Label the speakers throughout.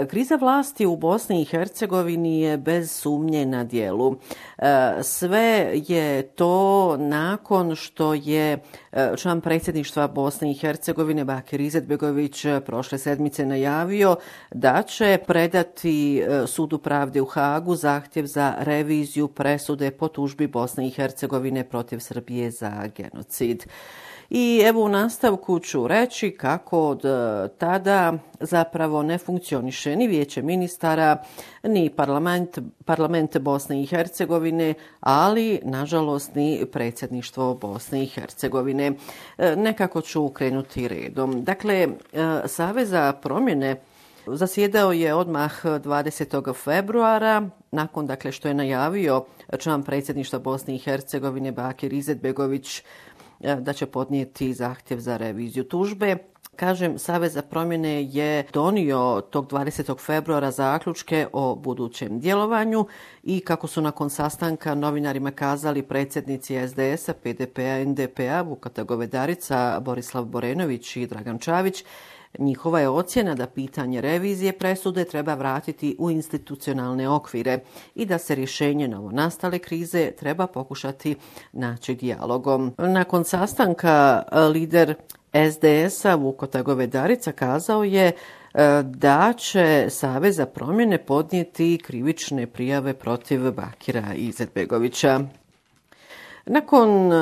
Speaker 1: Kriza vlasti u Bosni i Hercegovini je bez sumnje na djelu. Sve je to nakon što je član predsjedništva Bosne i Hercegovine Bakir Izetbegović prošle sedmice najavio da će predati Sudu pravde u Hagu zahtjev za reviziju presude po tužbi Bosne i Hercegovine protiv Srbije za genocid. I evo u nastavku ću reći kako od tada zapravo ne funkcioniše ni Vijeće ministara, ni parlament Bosne i Hercegovine, ali nažalost ni predsjedništvo Bosne i Hercegovine. Nekako ću krenuti redom. Dakle, Savez za promjene zasjedao je odmah 20. februara, nakon što je najavio član predsjedništva Bosne i Hercegovine Bakir Izetbegović da će podnijeti zahtjev za reviziju tužbe. Kažem, Savez za promjene je donio tog 20. februara zaključke o budućem djelovanju i kako su nakon sastanka novinarima kazali predsjednici SDS-a, PDP-a, NDP-a, Vukotar Govedarica, Borislav Borenović i Dragan Čavić, njihova je ocjena da pitanje revizije presude treba vratiti u institucionalne okvire i da se rješenje novonastale krize treba pokušati naći dijalogom. Nakon sastanka lider SDS-a Vukotar Govedarica kazao je da će Savez za promjene podnijeti krivične prijave protiv Bakira Izetbegovića. Nakon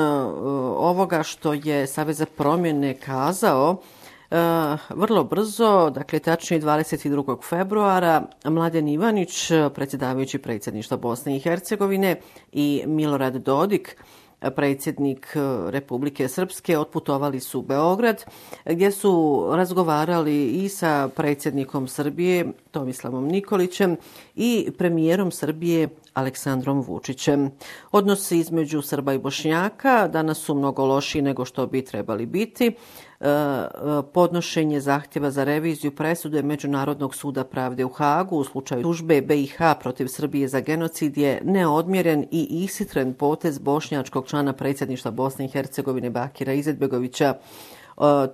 Speaker 1: ovoga što je Savez za promjene kazao, vrlo brzo, tačnije 22. februara, Mladen Ivanić, predsjedavajući predsjedništva Bosne i Hercegovine, i Milorad Dodik, predsjednik Republike Srpske, otputovali su u Beograd gdje su razgovarali i sa predsjednikom Srbije Tomislavom Nikolićem i premijerom Srbije Aleksandrom Vučićem. Odnosi između Srba i Bošnjaka danas su mnogo lošiji nego što bi trebali biti. Podnošenje zahtjeva za reviziju presude Međunarodnog suda pravde u Hagu u slučaju tužbe BiH protiv Srbije za genocid je neodmjeren i ishitren potez bošnjačkog člana predsjedništva Bosne i Hercegovine Bakira Izetbegovića.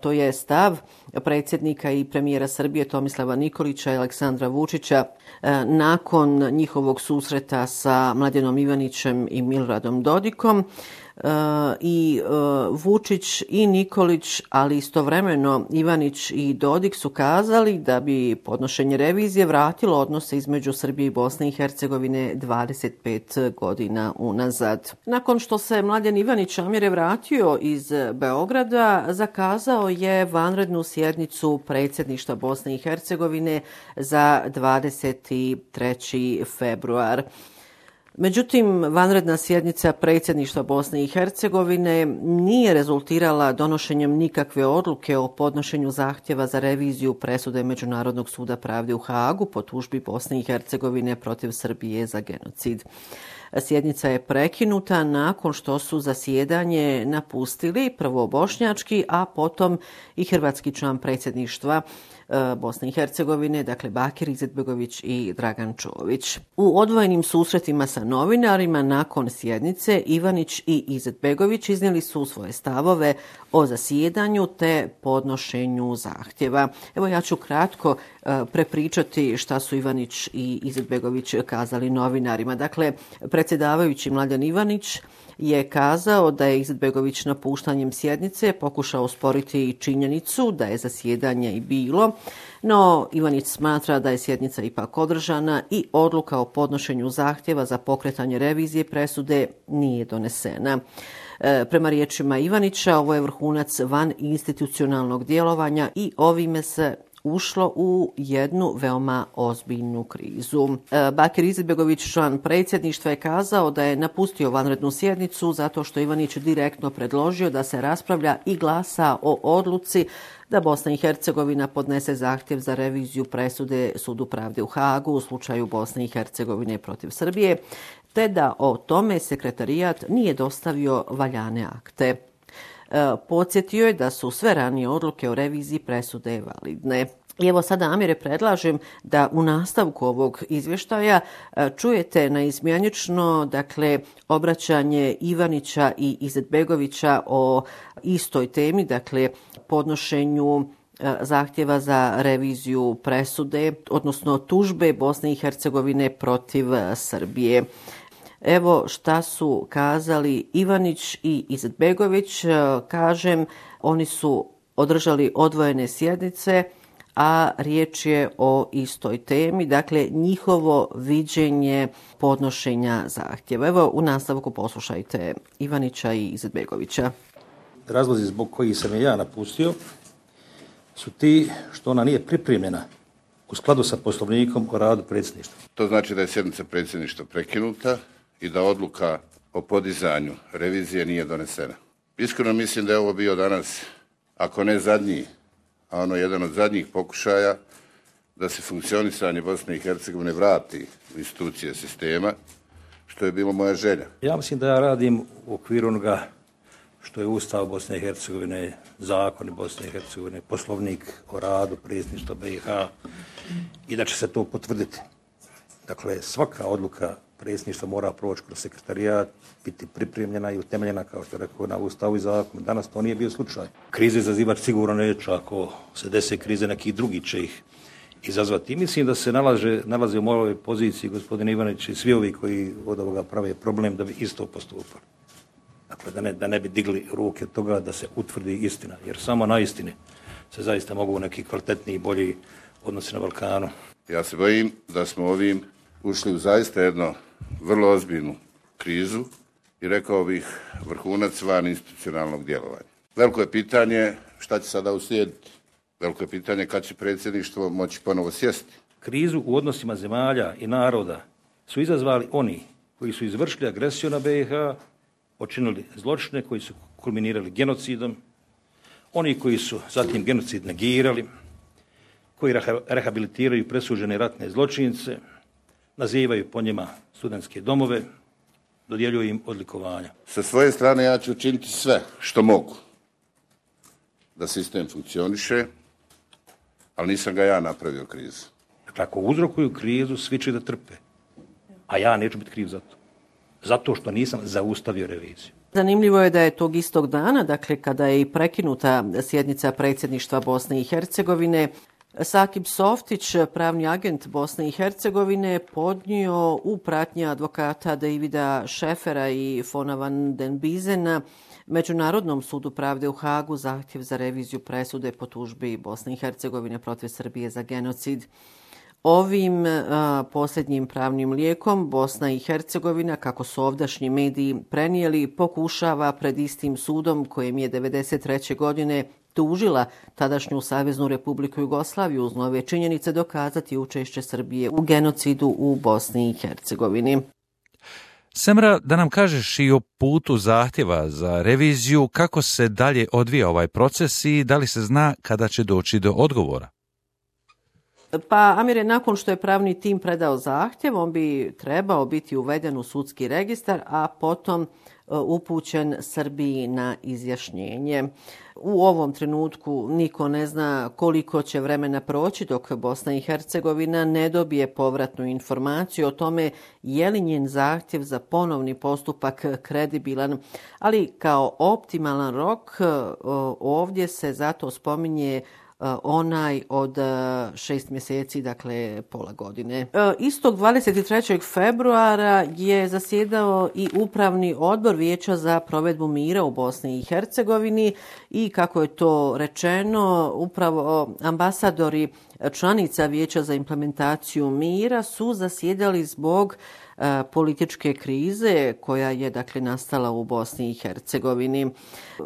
Speaker 1: To je stav predsjednika i premijera Srbije Tomislava Nikolića i Aleksandra Vučića nakon njihovog susreta sa Mladenom Ivanićem i Miloradom Dodikom. I Vučić i Nikolić, ali istovremeno Ivanić i Dodik su kazali da bi podnošenje revizije vratilo odnose između Srbije i Bosne i Hercegovine 25 godina unazad. Nakon što se Mladen Ivanić Amire vratio iz Beograda, zakazao je vanrednu sjednicu predsjedništva Bosne i Hercegovine za 23. februar. Međutim, vanredna sjednica predsjedništva Bosne i Hercegovine nije rezultirala donošenjem nikakve odluke o podnošenju zahtjeva za reviziju presude Međunarodnog suda pravde u Hagu po tužbi Bosne i Hercegovine protiv Srbije za genocid. Sjednica je prekinuta nakon što su zasjedanje napustili prvo bošnjački, a potom i hrvatski član predsjedništva Bosne i Hercegovine, Bakir Izetbegović i Dragan Čović. U odvojenim susretima sa novinarima nakon sjednice Ivanić i Izetbegović iznijeli su svoje stavove o zasjedanju te podnošenju zahtjeva. Evo ja ću kratko prepričati šta su Ivanić i Izetbegović kazali novinarima. Predsjedavajući Mladen Ivanić je kazao da je Izetbegović napuštanjem sjednice pokušao osporiti činjenicu da je zasjedanje i bilo, no Ivanić smatra da je sjednica ipak održana i odluka o podnošenju zahtjeva za pokretanje revizije presude nije donesena. Prema riječima Ivanića, ovo je vrhunac van institucionalnog djelovanja i ovime se ušlo u jednu veoma ozbiljnu krizu. Bakir Izetbegović, član predsjedništva, je kazao da je napustio vanrednu sjednicu zato što Ivanić direktno predložio da se raspravlja i glasa o odluci da Bosna i Hercegovina podnese zahtjev za reviziju presude Sudu pravde u Hagu u slučaju Bosne i Hercegovine protiv Srbije, te da o tome sekretarijat nije dostavio valjane akte. Podsjetio je da su sve ranije odluke o reviziji presude validne. I evo sada, Amire, predlažem da u nastavku ovog izvještaja čujete naizmjenično, obraćanje Ivanića i Izetbegovića o istoj temi, podnošenju zahtjeva za reviziju presude, odnosno tužbe Bosne i Hercegovine protiv Srbije. Evo šta su kazali Ivanić i Izetbegović. Kažem, oni su održali odvojene sjednice, a riječ je o istoj temi, dakle njihovo viđenje podnošenja zahtjeva. Evo u nastavku poslušajte Ivanića i Izetbegovića.
Speaker 2: Razlozi zbog kojih sam je ja napustio su ti što ona nije pripremljena u skladu sa Poslovnikom o radu predsjedništva.
Speaker 3: To znači da je sjednica predsjedništva prekinuta i da odluka o podizanju revizije nije donesena. Iskreno mislim da je ovo bio danas, ako ne zadnji, a ono jedan od zadnjih pokušaja da se funkcionisanje Bosne i Hercegovine vrati u institucije sistema, što je bilo moja želja.
Speaker 2: Ja mislim da ja radim u okviru onoga što je Ustav Bosne i Hercegovine, zakoni Bosne i Hercegovine, Poslovnik o radu predsjedništva BiH i da će se to potvrditi. Dakle, svaka odluka predsjedništva mora proći kroz sekretarijat, biti pripremljena i utemeljena, kao što je rekao, na Ustavu i zakonu. Danas to nije bio slučaj. Krize izazivati sigurno neće, ako se dese krize, neki drugi će ih izazvati. I mislim da se nalaze u mojoj poziciji gospodin Ivanić i svi ovi koji od ovoga prave problem da bi isto postupali. Dakle, da ne bi digli ruke od toga da se utvrdi istina, jer samo na istini se zaista mogu neki kvalitetniji i bolji odnosi na Balkanu.
Speaker 3: Ja se bojim da smo ovim ušli u zaista jednu vrlo ozbiljnu krizu i rekao bih vrhunac van institucionalnog djelovanja. Veliko je pitanje šta će sada uslijediti. Veliko je pitanje kad će predsjedništvo moći ponovo sjesti.
Speaker 2: Krizu u odnosima zemalja i naroda su izazvali oni koji su izvršili agresiju na BiH, počinili zločine koji su kulminirali genocidom, oni koji su zatim genocid negirali, koji rehabilitiraju presuđene ratne zločince, nazivaju po njima studentske domove, dodjeljuju im odlikovanja.
Speaker 3: Sa svoje strane ja ću učiniti sve što mogu da sistem funkcioniše, ali nisam ga ja napravio krizu.
Speaker 2: Dakle, ako uzrokuju krizu, svi će da trpe, a ja neću biti kriv za to. Zato što nisam zaustavio reviziju.
Speaker 1: Zanimljivo je da je tog istog dana, dakle kada je i prekinuta sjednica predsjedništva Bosne i Hercegovine, Sakib Softić, pravni agent Bosne i Hercegovine, podnio u pratnji advokata Davida Šefera i Fona van den Bizena Međunarodnom sudu pravde u Hagu zahtjev za reviziju presude po tužbi Bosne i Hercegovine protiv Srbije za genocid. Ovim posljednjim pravnim lijekom Bosna i Hercegovina, kako su ovdašnji mediji prenijeli, pokušava pred istim sudom kojem je 1993. godine tužila tadašnju Saveznu Republiku Jugoslaviju uz nove činjenice dokazati učešće Srbije u genocidu u Bosni i Hercegovini.
Speaker 4: Semra, da nam kažeš i o putu zahtjeva za reviziju, kako se dalje odvija ovaj proces i da li se zna kada će doći do odgovora?
Speaker 1: Pa, Amire, nakon što je pravni tim predao zahtjev, on bi trebao biti uveden u sudski registar, a potom upućen Srbiji na izjašnjenje. U ovom trenutku niko ne zna koliko će vremena proći dok Bosna i Hercegovina ne dobije povratnu informaciju o tome je li njen zahtjev za ponovni postupak kredibilan, ali kao optimalan rok ovdje se zato spominje onaj od 6 mjeseci, dakle pola godine. Istog 23. februara je zasjedao i Upravni odbor Vijeća za provedbu mira u Bosni i Hercegovini i kako je to rečeno, upravo ambasadori članica Vijeća za implementaciju mira su zasjedali zbog političke krize koja je dakle nastala u Bosni i Hercegovini.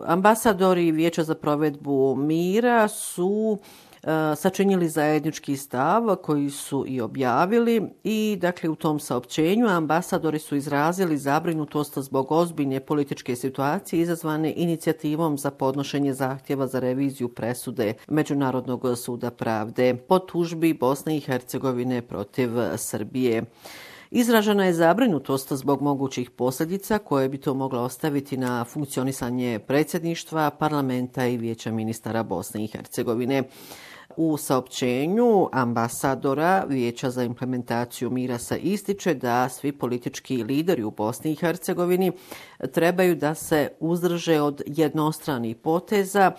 Speaker 1: Ambasadori Vijeća za provedbu mira su sačinili zajednički stav koji su i objavili i dakle u tom saopćenju ambasadori su izrazili zabrinutost zbog ozbiljne političke situacije izazvane inicijativom za podnošenje zahtjeva za reviziju presude Međunarodnog suda pravde po tužbi Bosne i Hercegovine protiv Srbije. Izražena je zabrinutost zbog mogućih posljedica koje bi to moglo ostaviti na funkcionisanje predsjedništva, parlamenta i Vijeća ministara Bosne i Hercegovine. U saopćenju ambasadora Vijeća za implementaciju mira se ističe da svi politički lideri u Bosni i Hercegovini trebaju da se uzdrže od jednostranih poteza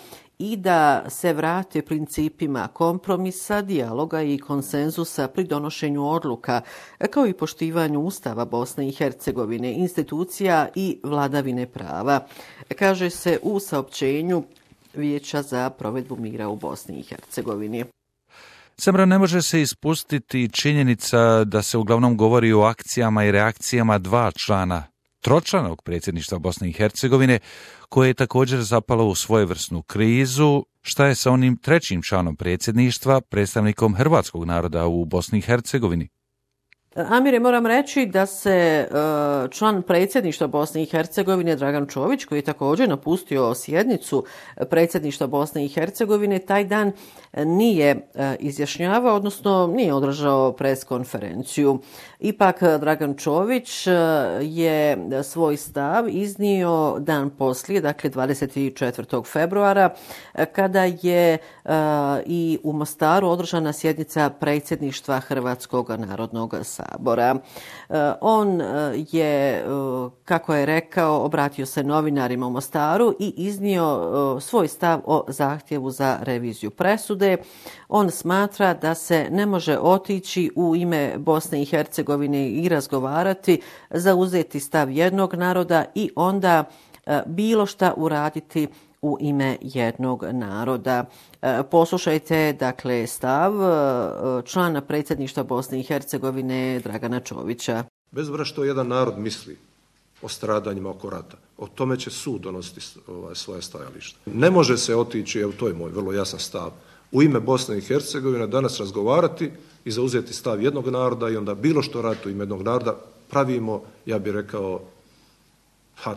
Speaker 1: i da se vrate principima kompromisa, dijaloga i konsenzusa pri donošenju odluka, kao i poštivanju Ustava Bosne i Hercegovine, institucija i vladavine prava, kaže se u saopćenju Vijeća za provedbu mira u Bosni i Hercegovini.
Speaker 4: Semra, ne može se ispustiti činjenica da se uglavnom govori o akcijama i reakcijama dva člana tročlanog predsjedništva Bosne i Hercegovine, koje je također zapalo u svojevrsnu krizu. Šta je sa onim trećim članom predsjedništva, predstavnikom hrvatskog naroda u Bosni i Hercegovini?
Speaker 1: Amire, moram reći da se član predsjedništva Bosne i Hercegovine Dragan Čović, koji je također napustio sjednicu predsjedništva Bosne i Hercegovine, taj dan nije izjašnjavao, odnosno nije održao pres konferenciju. Ipak Dragan Čović je svoj stav iznio dan poslije, dakle 24. februara, kada je i u Mostaru održana sjednica predsjedništva Hrvatskog narodnog sabora. On je, kako je rekao, obratio se novinarima u Mostaru i iznio svoj stav o zahtjevu za reviziju presude. On smatra da se ne može otići u ime Bosne i Hercegovine i razgovarati, zauzeti stav jednog naroda i onda bilo šta uraditi u ime jednog naroda. Poslušajte, dakle, stav člana predsjedništva Bosne i Hercegovine Dragana Čovića.
Speaker 5: Bez obzira što jedan narod misli o stradanjima oko rata, o tome će sud donositi svoje stajalište. Ne može se otići, evo to je moj vrlo jasan stav, u ime Bosne i Hercegovine danas razgovarati i zauzeti stav jednog naroda i onda bilo što ratu u ime jednog naroda pravimo, ja bih rekao,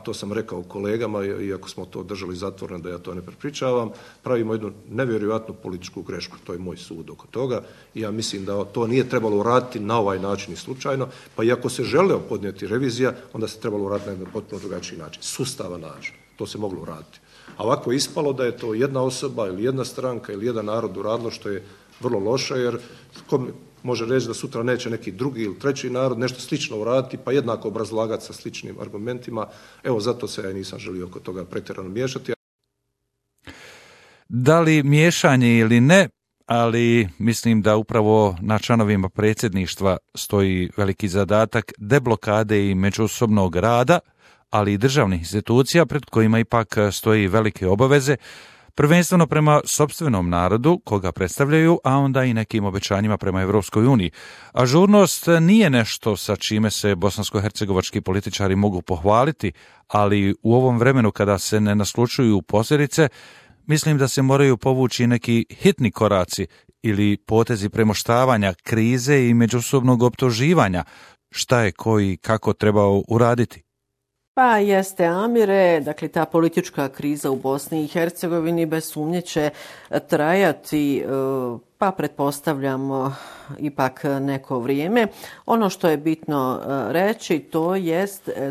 Speaker 5: to sam rekao kolegama, iako smo to držali zatvoreno da ja to ne prepričavam, pravimo jednu nevjerojatnu političku grešku, to je moj sud oko toga i ja mislim da to nije trebalo uraditi na ovaj način i slučajno, pa i ako se želeo podnijeti revizija, onda se trebalo uraditi na jedan potpuno drugačiji način, sustavan način, to se moglo uraditi. A ovako je ispalo da je to jedna osoba ili jedna stranka ili jedan narod uradilo, što je vrlo loše, jer može reći da sutra neće neki drugi ili treći narod nešto slično uraditi, pa jednako obrazlagati sa sličnim argumentima. Evo, zato se ja nisam želio oko toga pretjerano miješati.
Speaker 4: Da li miješanje ili ne, ali mislim da upravo na članovima predsjedništva stoji veliki zadatak deblokade i međusobnog rada, ali i državnih institucija pred kojima ipak stoji velike obaveze, prvenstveno prema sopstvenom narodu koga predstavljaju, a onda i nekim obećanjima prema Evropskoj uniji. Ažurnost nije nešto sa čime se bosansko-hercegovački političari mogu pohvaliti, ali u ovom vremenu kada se ne naslučuju posljedice, mislim da se moraju povući neki hitni koraci ili potezi premoštavanja krize i međusobnog optuživanja, šta je koji kako trebao uraditi.
Speaker 1: Pa jeste, Amire, dakle ta politička kriza u Bosni i Hercegovini bez sumnje će trajati, pa pretpostavljamo ipak neko vrijeme. Ono što je bitno reći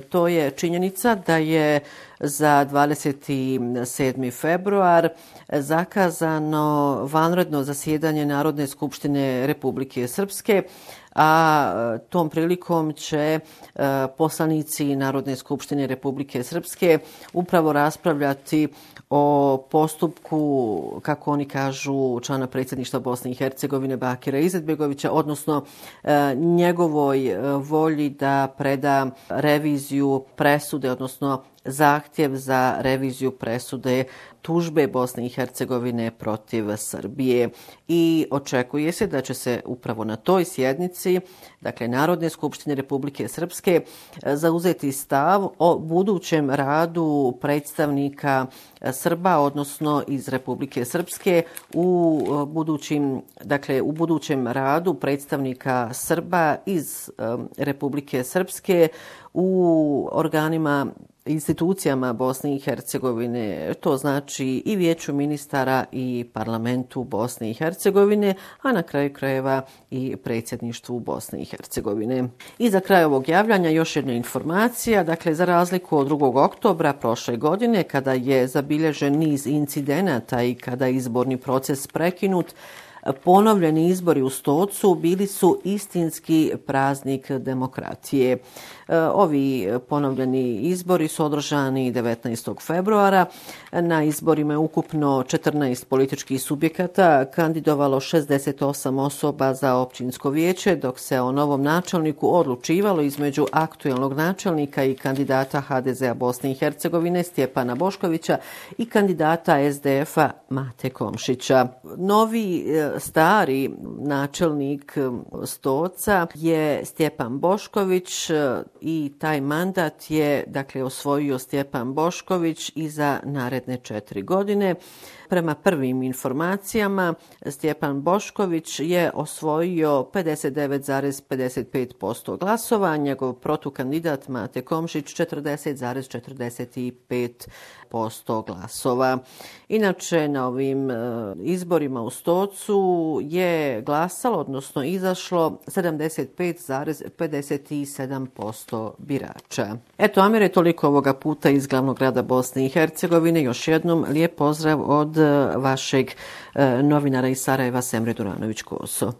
Speaker 1: to je činjenica da je za 27. februar zakazano vanredno zasjedanje Narodne skupštine Republike Srpske, a tom prilikom će poslanici Narodne skupštine Republike Srpske upravo raspravljati o postupku, kako oni kažu, člana predsjedništva Bosne i Hercegovine Bakira Izetbegovića, odnosno njegovoj volji da preda reviziju presude, odnosno zahtjev za reviziju presude tužbe Bosne i Hercegovine protiv Srbije. I očekuje se da će se upravo na toj sjednici, dakle Narodne skupštine Republike Srpske, zauzeti stav o budućem radu predstavnika Srba, odnosno iz Republike Srpske, u budućem radu predstavnika Srba iz Republike Srpske u organima, institucijama Bosne i Hercegovine, to znači i Vijeću ministara i Parlamentu Bosne i Hercegovine, a na kraju krajeva i predsjedništvu Bosne i Hercegovine. I za kraj ovog javljanja još jedna informacija, dakle za razliku od 2. oktobra prošle godine, kada je zabilježen niz incidenata i kada je izborni proces prekinut, ponovljeni izbori u Stocu bili su istinski praznik demokratije. Ovi ponovljeni izbori su održani 19. februara. Na izborima je ukupno 14 političkih subjekata kandidovalo 68 osoba za općinsko vijeće, dok se o novom načelniku odlučivalo između aktuelnog načelnika i kandidata HDZ-a Bosne i Hercegovine Stjepana Boškovića i kandidata SDF-a Mate Komšića. Novi stari načelnik Stoca je Stjepan Bošković i taj mandat je osvojio Stjepan Bošković i za naredne 4 godine. Prema prvim informacijama, Stjepan Bošković je osvojio 59,55% glasova, njegov protukandidat Mate Komšić 40,45% glasova. Inače, na ovim izborima u Stocu je glasalo, odnosno izašlo 75,57% birača. Eto, Amire, toliko ovoga puta iz glavnog grada Bosne i Hercegovine. Još jednom lijep pozdrav od vašeg novinara iz Sarajeva, Semre Duranović-Koso.